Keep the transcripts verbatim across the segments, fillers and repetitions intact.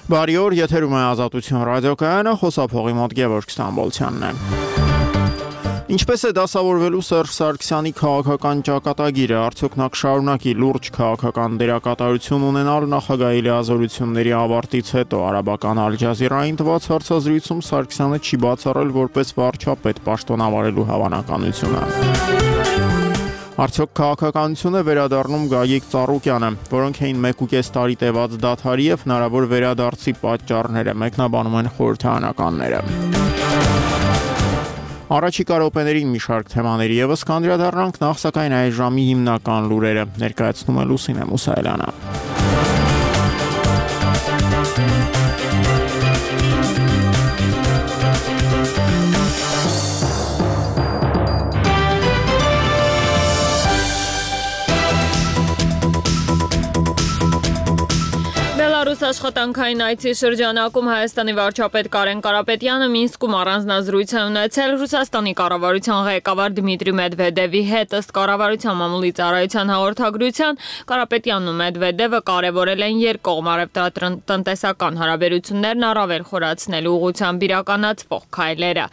Բարի օր, եթերում է Ազատություն ռադիոկայանը, խոսափողի մոտ Գևորգ Ստամբոլցյանն է։ Ինչպես է դասավորվելու Սերժ Սարգսյանի քաղաքական ճակատագիրը, արդյոք նա կշարունակի լուրջ քաղաքական դերակատարություն ունենալ նախագահի լիազորությունների ավարտից հետո? Արաբական Ալ Ջազիրային տված հարցազրույցում Սարգսյանը չի բացառել որպես վարչապետ պաշտոնավարելու հավանականությունը։ Արդյոք քաղաքականություն է վերադառնում Գագիկ Ծառուկյանը, որոնք էին մեկուկես տարի տևած դադարի եւ հնարավոր վերադարձի պատճառները, մեկնաբանում են խորհրդարանականները։ Առաջիկա րոպեներին մի շարք թեմաների եւս կանդրադառնանք, նախ սակայն այս ժամի հիմնական լուրերը ներկայացնում է Լուսինե Մուսայելյանը։ Աշխատանքային այցի շրջանակում Հայաստանի վարչապետ Կարեն Կարապետյանը Մինսկում առանձնազրույց է ունեցել Ռուսաստանի կառավարության ղեկավար Դմիտրի Մեդվեդևի հետ։ Ըստ կառավարության մամուլի ծառայության հաղորդագրության, Կարապետյանն ու Մեդվեդևը կարևորել են երկկողմ առևտրատնտեսական հարաբերություններն առավել խորացնելու ուղղությամբ իրականացվող քայլերը։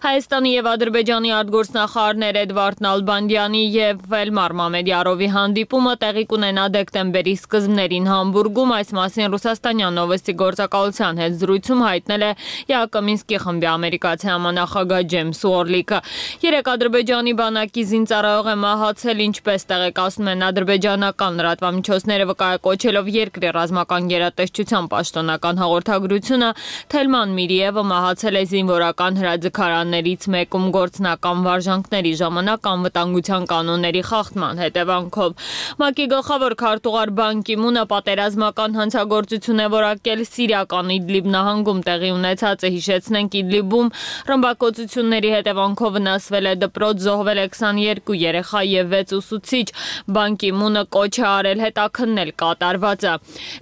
Հայաստանի եւ Ադրբեջանի արտգործնախարարներ Էդվարդ Նալբանդյանի եւ Էլմար Մամեդյարովի հանդիպումը տեղի կունենա դեկտեմբերի սկզբներին Համբուրգում, այս մասին Ռուսաստանյան Նովոստի գործակալության հետ զրույցում հայտնել է Յակոմինսկի խմբի ամերիկացի համանախագահ Ջեյմս Ուորլիկը։ Երեք ադրբեջանի բանակի զինծառայող է մահացել, ինչպես տեղեկացնում են ադրբեջանական լրատվամիջոցները, վկայակոչելով երկրի ռազմական գերատեսչության պաշտոնական հաղորդագրությունը, Թելման Միրիևը մահացել է զինվորական հրաձգարաններից մեկում գործնական վարժանքների ժամանակ անվտանգության կանոնների խախտման հետևանքով։ ՄԱԿ-ի գլխավոր քարտուղար Բան Կի Մունը պատերազմական հանցագործություն է որակել Սիրիական Իդլիբ նահանգում տեղի ունեցածը, հիշեցնենք Իդլիբում ռմբակոծությունների հետևանքով վնասվել է դպրոց, զոհվել է քսաներկու երեխա եւ վեց ուսուցիչ։ Բան Կի Մունը կոչ է արել հետաքննել կատարվածը։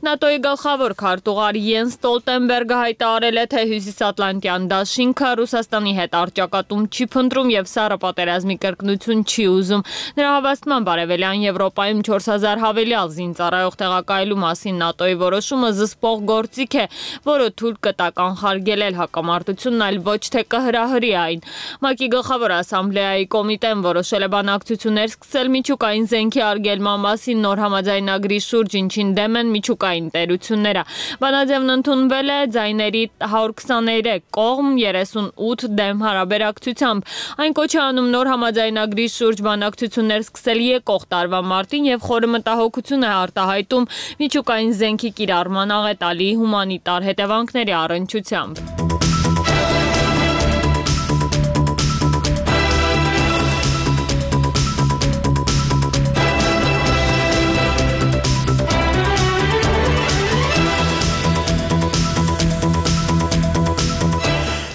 ՆԱՏՕ-ի գլխավոր քարտուղար Յենս Ստոլտենբերգը հայտարարել է, թե Հյուսիսատլանտյան դաշինքը Ռուսաստանի հետ առճակատում չի փնտրում եւ սառը պատերազմի կրկնություն չի ուզում։ Նրա հավաստմամբ Արևելյան Եվրոպայում չորս հազար հավելյալ զինծառայող տեղակայելու մասին ՆԱՏՕ-ի որոշումը զսպող գործիք է, որը թույլ կտա կանխարգելել հակամարտությունն, այլ ոչ թե կհրահրի այն։ ՄԱԿ-ի գլխավոր ասամբլեայի կոմիտեն որոշել է բանակցություններ սկսել միջուկային զենքի արգելման մասին նոր համաձայնագրի շուրջ, ինչին դեմ են միջուկային տերությունները։ Բանաձևն ընդունվել է ձայների հարյուր քսաներեք կողմ, երեսունութ դեմ հարաբերակցությամբ։ Այն կոչ է անում նոր համաձայնագրի շուրջ բանակցություններ սկսել եկող տարվա մարտին եւ խորը մտահոգություն է արտահայտում միջուկային զենքի կիրառման աղետալի հումանիտար հետևանքների առնչությամբ։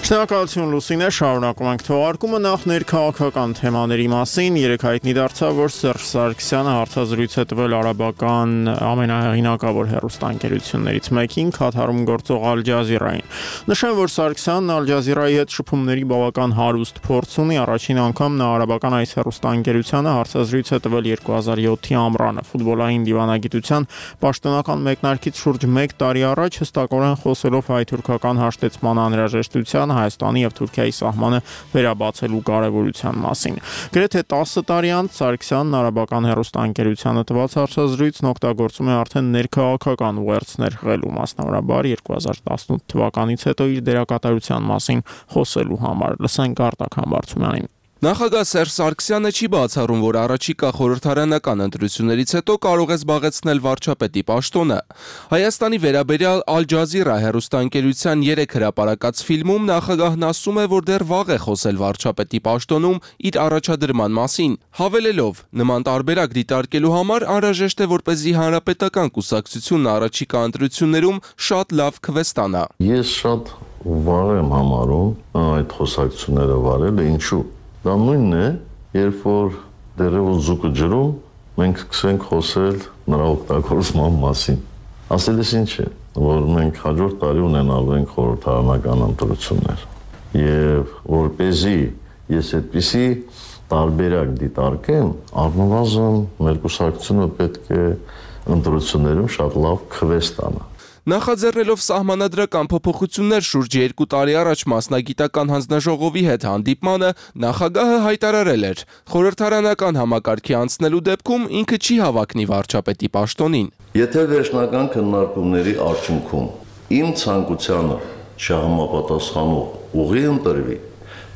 Շնորհակալություն Լուսինե, շարունակում ենք թողարկումը, նախ ներքաղաքական թեմաների մասին։ Երեկ հայտնի դարձավ, որ Սերժ Սարգսյանը հարցազրույց է տվել արաբական ամենահեղինակավոր հեռուստաընկերություններից մեկին, Քաթարում գործող Ալ Ջազիրային։ Նշեմ, որ Սարգսյանն Ալ Ջազիրայի հետ շփումների բավական հարուստ փորձ ունի, առաջին անգամ նա արաբական այս հեռուստաընկերությանը հարցազրույց է տվել երկու հազար յոթի ամռանը, ֆուտբոլային դիվանագիտության պաշտոնական մեկնարկից շուրջ մեկ տարի առաջ, հստակորեն խոսելով հայ-թուրքական հաշտեցման անհրաժեշտության, Հայաստանի եւ Թուրքիայի սահմանը վերաբացելու կարևորության մասին։ Գրեթե տասը տարի անց Սարգսյանն արաբական հեռուստաընկերությանը տված հարցազրույցն օգտագործում է արդեն ներքաղաքական ուղերձներ ղղելու, մասնավորաբար երկու հազար տասնութ թվականից հետո իր դերակատարության մասին խոսելու համար։ Լսենք Արտակ Համբարձումյանին։ Նախագահ Սերժ Սարգսյանը չի բացառում, որ առաջիկա խորհրդարանական ընտրություններից հետո կարող է զբաղեցնել վարչապետի պաշտոնը։ Հայաստանի վերաբերյալ Ալ Ջազիրա հեռուստաընկերության երեք հրապարակած ֆիլմում նախագահն ասում է, որ դեռ վաղ է խոսել վարչապետի պաշտոնում իր առաջադրման մասին, հավելելով, նման տարբերակ դիտարկելու համար անհրաժեշտ է, որպեսզի հանրապետական կուսակցությունն առաջիկա ընտրություններում շատ լավ քվե ստանա։ Ես շատ վաղ եմ համարում այդ խոսակցությունները վարել, ինչու։ Դա նույնն է, երբ որ դեռևս զուգը ջրում, մենք սկսենք խոսել նրա օգտագործման մասին։ Ասելիս ինչ է, որ մենք հաջորդ տարի ունենալու ենք խորհրդարանական ընտրություններ։ Եվ որպեսզի ես այդպիսի տարբերակ դիտարկեմ, առնվազն մեր կուսակցությունը պետք է ընտրություններում շատ լավ քվե ստանա։ Նախաձեռնելով սահմանադրական փոփոխություններ շուրջ երկու տարի առաջ մասնագիտական հանձնաժողովի հետ հանդիպմանը, նախագահը հայտարարել էր, խորհրդարանական համակարգի անցնելու դեպքում ինքը չի հավակնի վարչապետի պաշտոնին։ Եթե վերջնական քննարկումների արդյունքում իմ ցանկությանը չհամապատասխանող ուղի ընտրվի,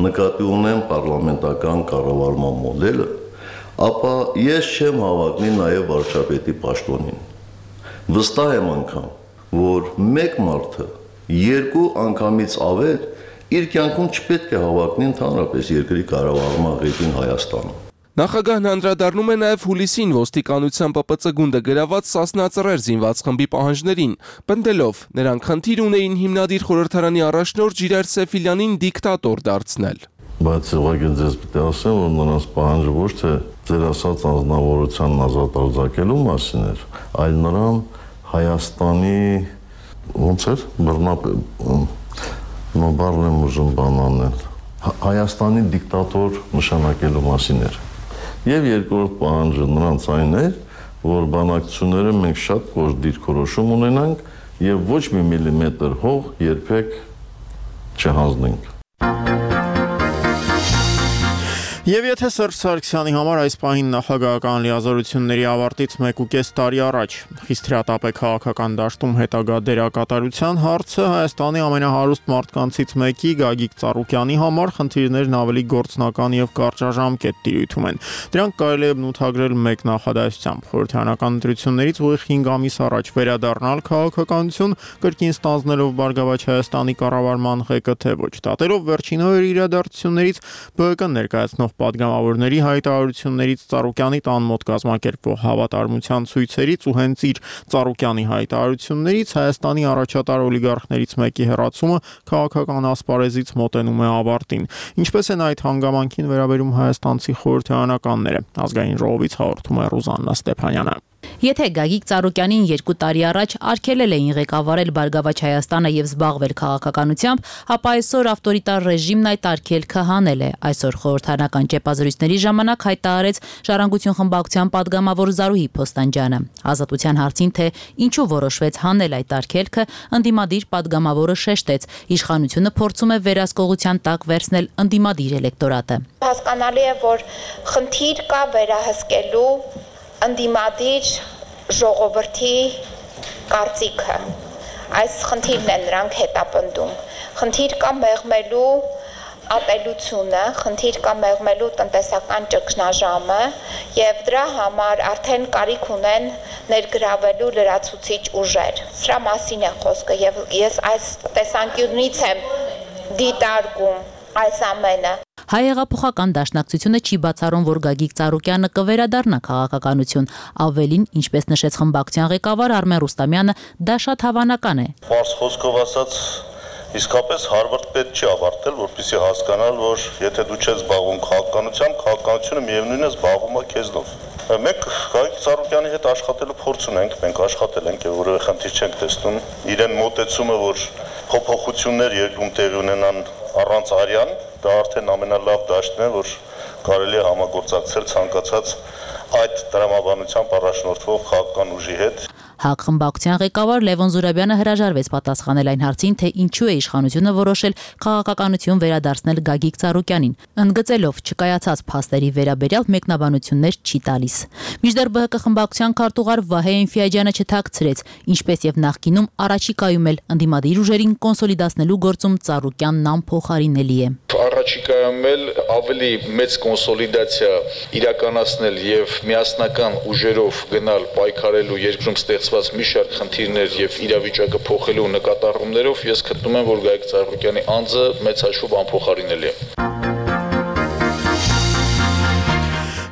նկատի ունեմ պարլամենտական կառավարման մոդելը, ապա ես չեմ հավակնի նաև վարչապետի պաշտոնին։ Վստահ եմ անգամ, որ մեկ մարդը երկու անգամից ավել իր կյանքում չպետք է հավակնի ընդհանրապես երկրի կառավարման ղեկին Հայաստանում։ Նախագահն անդրադառնում է նաև հուլիսին ոստիկանության Պ Պ Ծ գունդը գրաված Սասնա-Ծռեր զինված խմբի պահանջներին, պնդելով, նրանք խնդիր ունեին հիմնադիր խորհրդարանի առաջնորդ Ժիրայր Սեֆիլյանին դիկտատոր դարձնել։ Բայց ուղղակի ձեզ պետք է ասեմ, որ նրանց պահանջը ոչ թե ձեր ասած անձնավորության ազատ արձակելու մասին էր, այլ նրան Հայաստանի ոնց էր բռնապ նոբարն եմ ուզում բան անել Հայաստանի դիկտատոր նշանակելու մասին էր։ Եվ երկրորդ պահանջը նրանց այն էր, որ բանակցությունները մենք շատ կոշտ դիրքորոշում ունենանք եւ ոչ մի միլիմետր հող երբեք չհանձնենք։ Եվ եթե Սերժ Սարգսյանի համար այս պահին նախագահական լիազորությունների ավարտից մեկ ու կես տարի առաջ խիստ հրատապ է քաղաքական դաշտում հետագա դերակատարության հարցը, Հայաստանի ամենահարուստ մարդկանցից մեկի Գագիկ Ծառուկյանի համար խնդիրներն ավելի գործնական եւ կարճաժամկետ տիրույթում են։ Դրանք կարելի է բնութագրել մեկ նախադասությամբ՝ խորհրդարանական ընտրություններից ուղիղ հինգ ամիս առաջ վերադառնալ քաղաքականություն, կրկին ստանձնելով Բարգավաճ Հայաստանի կառավարման ղեկը, թե ոչ։ Դատելով վերջին օրերի իրադարձություններից Բ Կ ներկայացնող պատգամավորների հայտարարություններից, Ծառուկյանի տան մոտ կազմակերպվող հավատարմության ցույցերից ու հենց իր Ծառուկյանի հայտարարություններից Հայաստանի առաջատար օլիգարխներից մեկի հեռացումը քաղաքական ասպարեզից մոտենում է ավարտին։ Ինչպես են այդ հանգամանքին վերաբերում հայաստանցի խորհրդարանականները։ Ազգային ժողովից հաղորդում է Ռուզաննա Ստեփանյանը։ Եթե Գագիկ Ծառուկյանին երկու տարի առաջ արգելել էին ղեկավարել Բարգավաճ Հայաստանը եւ զբաղվել քաղաքականությամբ, ապա այսօր ավտորիտար ռեժիմն այդ արգելքը հանել է։ Այսօր խորհրդարանական ճեպազրույցների ժամանակ հայտարարեց Ժառանգություն խմբակցության падգամավոր Զարուհի Փոստանջյանը։ Ազատության հարցին, թե ինչու որոշվեց հանել այդ արգելքը, ընդդիմադիր падգամավորը շեշտեց, իշխանությունը փորձում է վերահսկողության տակ վերցնել ընդդիմադիր էլեկտորատը։ Հասկանալի է, որ խնդիր կա վերահսկելու ընդդիմադիր ժողովրդի կարծիքը, այս խնդիրն է նրանք հետապնդում, խնդիր կա մեղմելու ատելությունը, խնդիր կա մեղմելու տնտեսական ճգնաժամը եւ դրա համար արդեն կարիք ունեն ներգրավելու լրացուցիչ ուժեր։ Սրա մասին է խոսքը եւ ես այս տեսանկյունից եմ դիտարկում այս ամենը։ Հայեղափոխական դաշնակցությունը չի բացառում, որ Գագիկ Ծառուկյանը կվերադառնա քաղաքականություն, ավելին, ինչպես նշեց խմբակցության ղեկավար Արմեն Ռուստամյանը, դա շատ հավանական է։ Պարզ խոսքով ասած, իսկապես հարվարդ պետք չի ավարտել, որպեսզի հասկանալ, որ եթե դու չես զբաղվում քաղաքականությամբ, քաղաքականությունը միևնույնն է զբաղվում է քեզնով։ Մենք Գագիկ Ծառուկյանի հետ աշխատելու փորձ ունենք, մենք աշխատել ենք եւ որևէ խնդիր չենք տեսնում։ Իրեն մոտեցումը, որ փոփոխություններ երկրում տեղի ունենան առանց արյան, դա արդեն ամենալավ դաշտն է, որ կարելի է համագործակցել ցանկացած այդ տրամաբանությամբ առաջնորդվող քաղաքական ուժի հետ։ ՀԱԿ խմբակցության ղեկավար Լևոն Զուրաբյանը հրաժարվեց պատասխանել այն հարցին, թե ինչու է իշխանությունը որոշել քաղաքականություն վերադարձնել Գագիկ Ծառուկյանին, ընդգծելով չկայացած փաստերի վերաբերյալ մեկնաբանություններ չի տալիս։ Մինչդեռ Բ Հ Կ խմբակցության քարտուղար Վահե Էնֆիաջյանը չթաքցրեց, ինչպես եւ նախկինում առաջիկայում էլ ընդդիմադիր ուժերին կոնսոլիդացնելու գործում Ծառուկյանն անփոխարինելի է։ Առաջիկայում էլ ավելի մեծ կոնսոլիդացիա իրականացնել եւ միասնական ուժերով գնալ պայքարելու երկրում ստեղծված մի շարք խնդիրներ եւ իրավիճակը փոխելու նկատառումներով ես գտնում եմ, որ Գագիկ Ծառուկյանի անձը մեծ հաշվով անփոխարինելի է։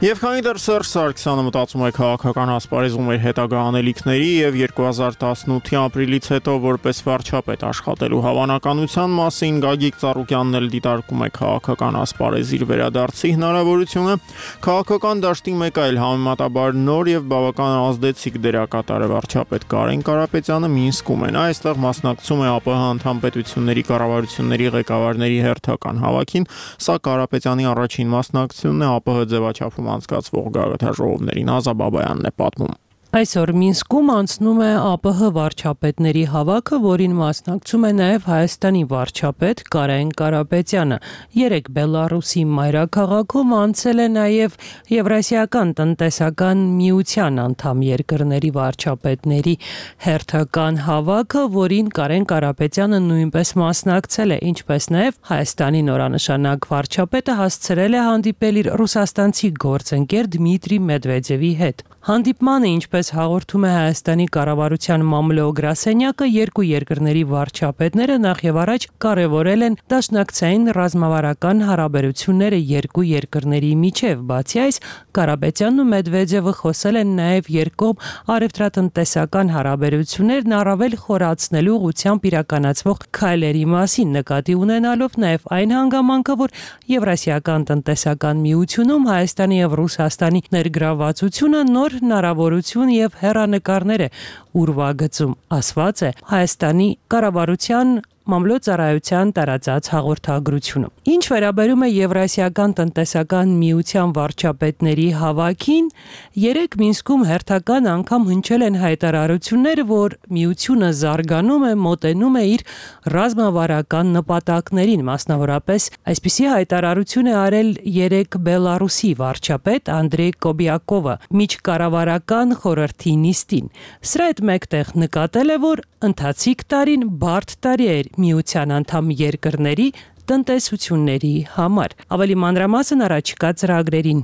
Եվ քանի դեռ Սերժ Սարգսյանը մտածում է քաղաքական ասպարեզում իր հետագա անելիքների եւ երկու հազար տասնութի ապրիլից հետո որպես վարչապետ աշխատելու հավանականության մասին, Գագիկ Ծառուկյանն էլ դիտարկում է քաղաքական ասպարեզ իր վերադարձի հնարավորությունը։ Քաղաքական դաշտի մեկ այլ համեմատաբար նոր եւ բավական ազդեցիկ դերակատար վարչապետ Կարեն Կարապետյանը Մինսկում է։ Նա այստեղ մասնակցում է ԱՊՀ անդամ պետությունների կառավարությունների ղեկավարների հերթական հավաքին, սա Կարապետյանի առաջին մասնակցությունն է ԱՊՀ ձևաչափում անցկացվող գաղութաժողովներին։ Ազա Բաբայանն է պատմում։ Այսօր Մինսկում անցնում է ԱՊՀ վարչապետների հավաքը, որին մասնակցում է նաև Հայաստանի վարչապետ Կարեն Կարապետյանը։ Երեկ Բելարուսի մայրաքաղաքում անցել է նաև Եվրասիական տնտեսական միության անդամ երկրների վարչապետների հերթական հավաքը, որին Կարեն Կարապետյանը նույնպես մասնակցել է, ինչպես նաև Հայաստանի նորանշանակ վարչապետը հասցրել է հանդիպել իր ռուսաստանցի գործընկեր Դմիտրի Մեդվեդևի հետ։ Հանդիպմանը, ինչպես հաղորդում է Հայաստանի կառավարության մամլո գրասենյակը, երկու երկրների վարչապետները նախ եւ առաջ կարևորել են դաշնակցային ռազմավարական հարաբերությունները երկու երկրների միջև։ Բացի այս, Կարապետյանն ու Մեդվեդևը խոսել են նաև երկկողմ առևտրատնտեսական հարաբերություններն առավել խորացնելու ուղղությամբ իրականացվող քայլերի մասին, նկատի ունենալով նաև այն հանգամանքը, որ Եվրասիական տնտեսական միությունում Հայաստանի եւ Ռուսաստանի ներգրավվածությունը նոր հնարավորություն եւ հեռանկարներ է ուրվագծում, ասված է Հայաստանի կառավարության մամլոյցարայության տարածած հաղորդագրությունը։ Ինչ վերաբերում է Եվրասիական տնտեսական միության վարչապետների հավաքին, երեք Մինսկում հերթական անգամ հնչել են հայտարարություններ, որ միությունը զարգանում է, մոտենում է իր ռազմավարական նպատակներին, մասնավորապես այսպիսի հայտարարություն է արել երեք Բելարուսի վարչապետ Անդրեյ Կոբիակովը միջկառավարական խորհրդի նիստին։ Սրա հետ մեկտեղ նկատել է, որ ընթացիկ տարին բարդ տարի էր միության անդամ երկրների տնտեսությունների համար։ Ավելի մանրամասն առաջիկա ծրագրերին։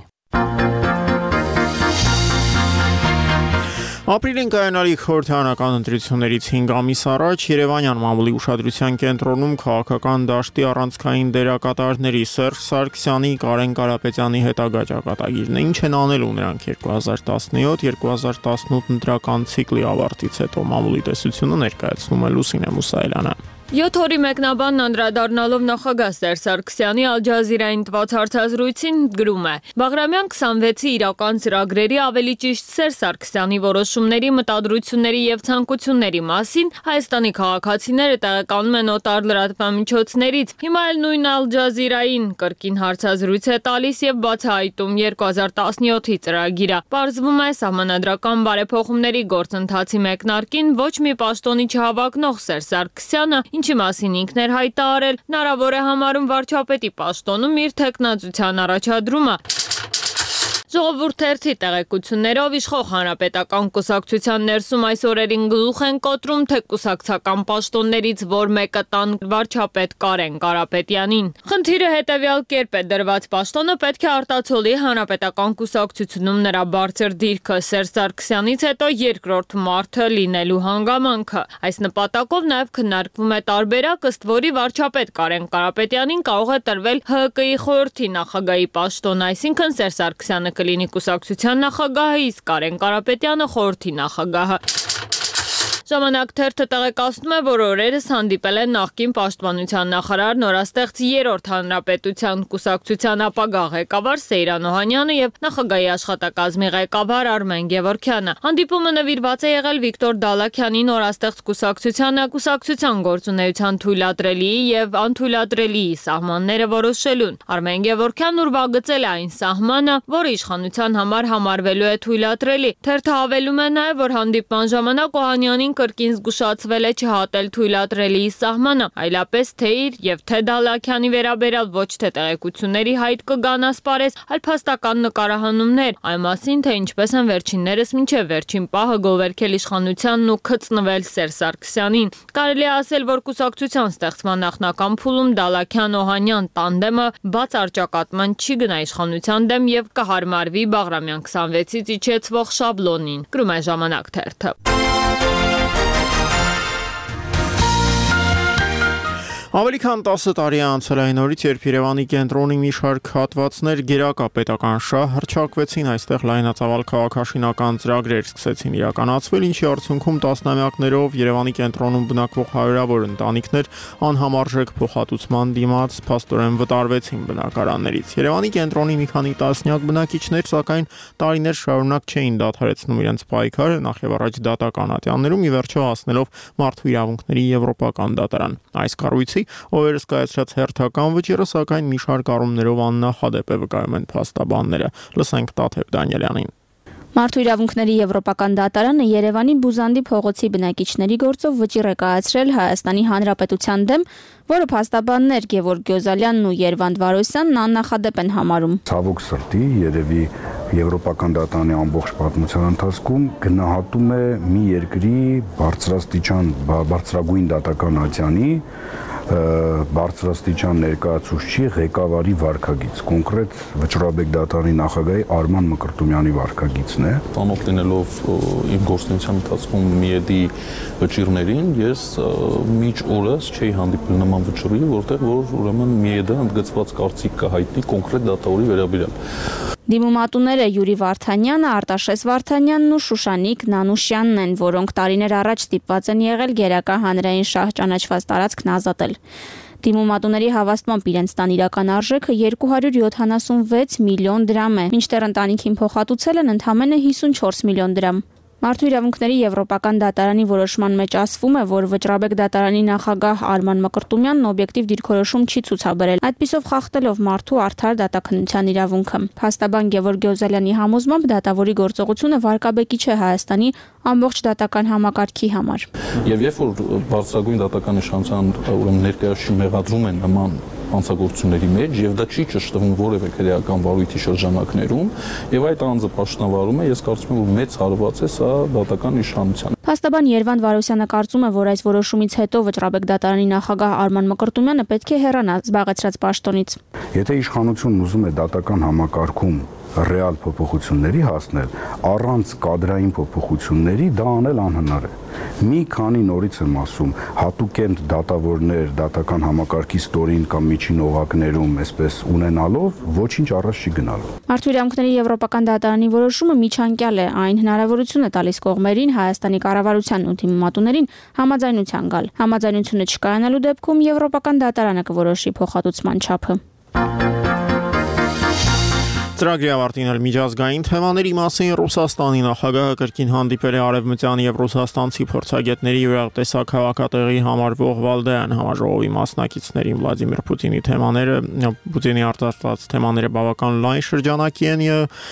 Ապրիլին կայանալիք խորհրդարանական ընտրություններից հինգ ամիս առաջ Երևանյան մամուլի ուշադրության կենտրոնում քաղաքական դաշտի առանցքային դերակատարների Սերժ Սարգսյանի, Կարեն Կարապետյանի հետագա ճակատագիրն է։ Ինչ են անելու նրանք երկու հազար տասնյոթ երկու հազար տասնութ ընտրական ցիկլի ավարտից հետո մամուլի տեսությունը ներկայացնում է Լուսինե Մուսայելյանը։ յոթ օրի մեկնաբանն անդրադառնալով նախագահ Սերժ Սարգսյանի Ալ Ջազիրային տված հարցազրույցին գրում է. Բաղրամյան քսանվեցի իրական ծրագրերի, ավելի ճիշտ Սերժ Սարգսյանի որոշումների, մտադրությունների եւ ցանկությունների մասին Հայաստանի քաղաքացիները տեղեկանում են օտար լրատվամիջոցներից։ Հիմա էլ նույն Ալ Ջազիրային կրկին հարցազրույց է տալիս եւ բացահայտում երկու հազար տասնյոթի ծրագիրը։ Պարզվում է սահմանադրական բարեփոխումների գործընթացի մեկնարկին ոչ մի պաշտոնի չհավակնող Սերժ Սարգսյանը, ինչի մասին ինքն էր հայտարարել, հնարավոր է համարում վարչապետի պաշտոնում իր թեկնածության առաջադրումը։ Ժողովուրդ թերթի տեղեկություններով իշխող հանրապետական կուսակցության ներսում այս օրերին գլուխ են կոտրում, թե կուսակցական պաշտոններից որ մեկը տան վարչապետ Կարեն Կարապետյանին։ Խնդիրը հետևյալ կերպ է դրված. պաշտոնը պետք է արտացոլի հանրապետական կուսակցությունում նրա բարձր դիրքը, Սերժ Սարգսյանից հետո երկրորդ մարդը լինելու հանգամանքը։ Այս նպատակով նաև քննարկվում է տարբերակ, ըստ որի վարչապետ Կարեն Կարապետյանին կարող է տրվել Հ Կ I խորհրդի նախագահի պաշտոն, այսինքն Սերժ Սարգսյանը կլինի կուսակցության նախագահը, իսկ Կարեն Կարապետյանը խորհրդի նախագահը։ Ժամանակ թերթը տեղեկացնում է, որ օրերս հանդիպել են նախկին պաշտպանության նախարար, նորաստեղծ երրորդ հանրապետության կուսակցության ապագա ղեկավար Սեյրան Օհանյանը եւ նախագահի աշխատակազմի ղեկավար Արմեն Գևորգյանը։ Հանդիպումը նվիրված է եղել Վիկտոր Դալաքյանի նորաստեղծ կուսակցությանը, կուսակցության գործունեության թույլատրելի եւ անթույլատրելի սահմանները որոշելուն։ Արմեն Գևորգյանն ուրվագծել է այն սահմանը, որը իշխանության համար համարվելու է թույլատրելի։ Թերթը հավելում է նաեւ, որ հանդիպման ժամանակ Օհանյանին կրկին զգուշացվել է չհատել թույլատրելի սահմանը, այլապես թե իր եւ թե Դալաքյանի վերաբերյալ ոչ թե տեղեկությունների հայտ կգան ասպարեզ, այլ փաստական նկարահանումներ, այն մասին, թե ինչպես են վերջիններս մինչև վերջին պահը գովերքել իշխանությանն ու գծնվել Սերժ Սարգսյանին։ Կարելի է ասել, որ կուսակցության ստեղծման նախնական փուլում Դալաքյան-Օհանյան տանդեմը բաց արճակատման չի գնա իշխանության դեմ եւ կհարմարվի Բաղրամյան քսանվեցից իջեցվող շաբլոնին։ Գրում է Ժամանակ թերթը։ Ավելի քան տասը տարի է անցել այն օրից, երբ Երևանի կենտրոնի մի շարք հատվածներ գերակա պետական շահ հռչակվեցին, այստեղ լայնածավալ քաղաքաշինական ծրագրեր սկսեցին իրականացվել, ինչի արդյունքում տասնամյակներով Երևանի կենտրոնում բնակվող հարյուրավոր ընտանիքներ անհամարժեք փոխհատուցման դիմաց փաստորեն վտարվեցին բնակարաններից։ Երևանի կենտրոնի մի քանի տասնյակ բնակիչներ, սակայն տարիներ շարունակ չէին դադարեցնում իրենց պայքարը, նախ եւ առաջ դատական ատյաններում, ի վերջո հասնելով Մարդու իրավունքների եվրոպական դատարան։ Այս կառույցի օրերս կայացրած հերթական վճիռը, սակայն մի շարք առումներով աննախադեպ է, վկայում են փաստաբանները։ Լսենք Տաթև Դանիելյանին։ Մարդու իրավունքների Եվրոպական դատարանը Երևանի Բուզանդի փողոցի բնակիչների գործով վճիռ է կայացրել Հայաստանի Հանրապետության դեմ, որը փաստաբաններ Գևորգ Գյոզալյանն ու Երվանդ Վարոսյանն աննախադեպ են համարում։ Ցավոք սրտի երևի Եվրոպական դատարանի ամբողջ պատմության ընթացքում գնահատում է մի երկրի բարձրաստիճան բարձրագույն դատական ատյանի բարձրաստիճան ներկայացուցչի ղեկավարի վարքագիծ, կոնկրետ Վճռաբեկ դատարանի նախագահի Արման Մկրտումյանի վարքագիծն է։ Ծանոթ լինելով իմ գործունեության ընթացքում Միեդի վճիռներին, ես միջ օրս չէի հանդիպել նման վճռի, որտեղ որ ուրեմն Միեդը ընդգծված կարծիք կա հայտնի կոնկրետ դատավորի վերաբերյալ։ Դիմումատուները Յուրի Վարդանյանը, Արտաշես Վարդանյանն ու Շուշանիկ Նանուշյանն են, որոնք տարիներ առաջ ստիպված են եղել գերակա հանրային շահ ճանաչված տարածքն ազատել։ Դիմումատուների հավաստմամբ իրենց տան իրական արժեքը երկու հարյուր յոթանասունվեց միլիոն դրամ է, մինչդեռ ընտանիքին փոխհատուցել են ընդամենը հիսունչորս միլիոն դրամ։ Մարդու իրավունքների Եվրոպական դատարանի որոշման մեջ ասվում է, որ Վճռաբեկ դատարանի նախագահ Արման Մկրտումյանն օբյեկտիվ դիրքորոշում չի ցուցաբերել, այդպիսով խախտելով մարդու արդար դատաքննության իրավունքը։ Փաստաբան Գևորգ Գյոզալյանի համոզմամբ դատավորի գործողությունը վարկաբեկի չէ Հայաստանի ամբողջ դատական համակարգի համար։ Եվ երբ որ բարձրագույն դատական իշխանության ուրեմն ներկայացուցիչ մեղադրում են նման հանցագործությունների մեջ եւ դա չի ճշտվում որևէ քրեական վարույթի շրջանակներում եւ այդ անձը պաշտոնավարում է, ես կարծում եմ որ մեծ հարված է սա դատական իշխանության։ Փաստաբան Երվանդ Վարոսյանը կարծում է, որ այս որոշումից հետո Վճռաբեկ դատարանի նախագահ Արման Մկրտումյանը պետք է հեռանա զբաղեցրած պաշտոնից։ Եթե իշխանությունն ուզում է դատական համակարգում ռեալ փոփոխությունների հասնել, առանց կադրային փոփոխությունների դա անել անհնար է։ Մի քանի նորից եմ ասում, հատուկենտ դատավորներ դատական համակարգի ստորին կամ միջին օղակներում այսպես ունենալով ոչինչ առաջ չի գնալու։ Մարդու իրավունքների Եվրոպական դատարանի որոշումը միջանկյալ է, այն հնարավորություն է տալիս կողմերին, Հայաստանի կառավարությանն ու դիմումատուներին համաձայնության գալ։ Համաձայնությունը չկայանալու դեպքում Եվրոպական դատարանը կորոշի փոխհատուցման չափը։ Ծրագրի ավարտին էլ միջազգային թեմաների մասին Ռուսաստանի նախագահը կրկին հանդիպել է արևմտյան եւ ռուսաստանցի փորձագետների յուրատեսակ քաղաքատեղի համարվող Վալդայան համաժողովի մասնակիցներին Վլադիմիր Պուտինի թեմաները Պուտինի արտահայտած թեմաները բավական լայն շրջանակի են եւ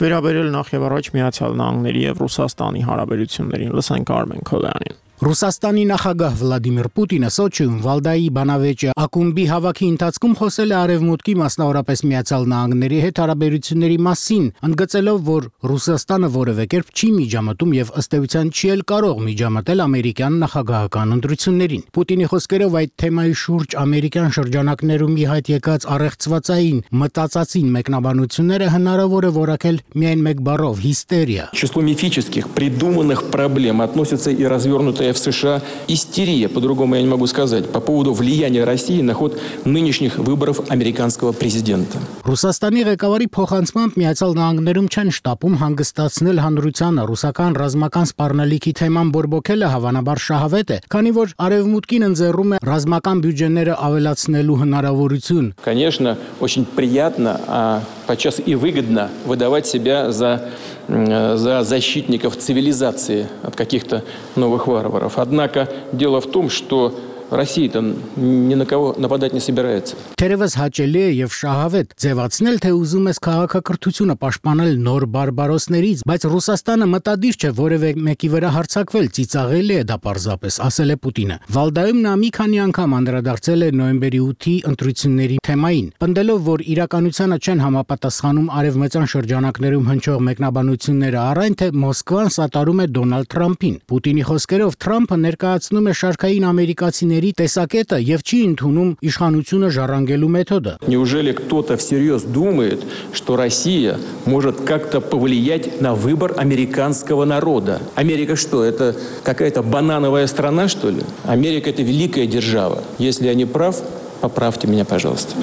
վերաբերել նախ եւ առաջ Միացյալ Նահանգների եւ Ռուսաստանի հարաբերություններին։ Լսենք Արմեն Քոլյանին։ Ռուսաստանի նախագահ Վլադիմիր Պուտինը Սոչիում Վալդայի բանավեճը ակումբի հավաքի ընթացքում խոսել է Արևմուտքի, մասնավորապես Միացյալ Նահանգների հետ հարաբերությունների մասին, ընդգծելով, որ Ռուսաստանը որևէ կերպ չի միջամտում եւ ըստ էության չի էլ կարող միջամտել ամերիկյան նախագահական ընտրություններին։ Պուտինի խոսքերով այդ թեմայի շուրջ ամերիկյան շրջանակներում ի հայտ եկած առեղծվածային մտածածին մեկնաբանությունները հնարավոր է որակել միայն մեկ բառով՝ հիստերիա։ Число мифических придуманных проблем относится и развернутая в США истерия, по-другому я не могу сказать, по поводу влияния России на ход нынешних выборов американского президента. Ռուսաստանի ղեկավարի փոխանցմամբ Միացյալ Նահանգներում չեն շտապում հանգստացնել հանրությանը, ռուսական ռազմական սպառնալիքի թեման բորբոքելը հավանաբար շահավետ է, քանի որ Արևմուտքին ընձեռում է ռազմական բյուջեները ավելացնելու հնարավորություն։ Конечно, очень приятно, а подчас и выгодно выдавать себя за за защитников цивилизации от каких-то новых варваров. Однако дело в том, что Россия-то ни на кого нападать не собирается. Թերևս հաճելի է եւ շահավետ ձևացնել, թե ուզում ես քաղաքակրթությունը պաշտպանել նոր բարբարոսներից, բայց Ռուսաստանը մտադիր չէ որևէ մեկի վրա հարձակվել, ծիծաղելի է դա պարզապես, ասել է Պուտինը։ Վալդայում նա մի քանի անգամ անդրադարձել է նոյեմբերի ութի ընտրությունների թեմային, պնդելով, որ իրականությանը չեն համապատասխանում արևմտյան շրջանակներում հնչող մեկնաբանությունները, առայն թե Մոսկվան սատարում է Դոնալդ Թրամփին։ Պուտինի խոսքերով Թրամփը ներկայացնում է շարքային ամերիկացիների տեսակետը եւ չի ընդունում իշխանությունը ժառանգելու մեթոդը։ Неужели кто-то всерьез думает, что Россия может как-то повлиять на выбор американского народа? Америка что, это какая-то банановая страна, что ли? Америка это великая держава. Если я не прав, поправьте меня, пожалуйста.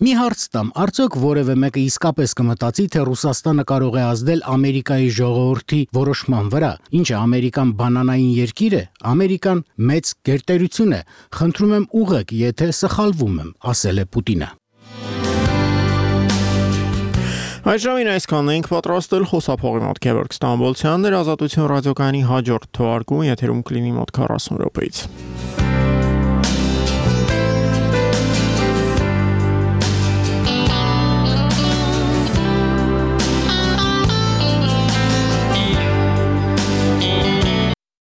Մի հարց տամ, արդյոք որևէ մեկը իսկապես կմտածի, թե Ռուսաստանը կարող է ազդել Ամերիկայի ժողովրդի որոշման վրա։ Ինչ է, Ամերիկան բանանային երկիր է, Ամերիկան մեծ գերտերություն է։ Խնդրում եմ ուղղեք, եթե սխալվում եմ, ասել է Պուտինը։ Այս ժամին այսքանն ենք պատրաստել խոսափողի մոտ Գևորգ Ստամբոլցյանն էր, Ազատություն ռադիոկայանի հաջորդ թողարկումը եթերում կլինի մոտ քառասուն րոպեից։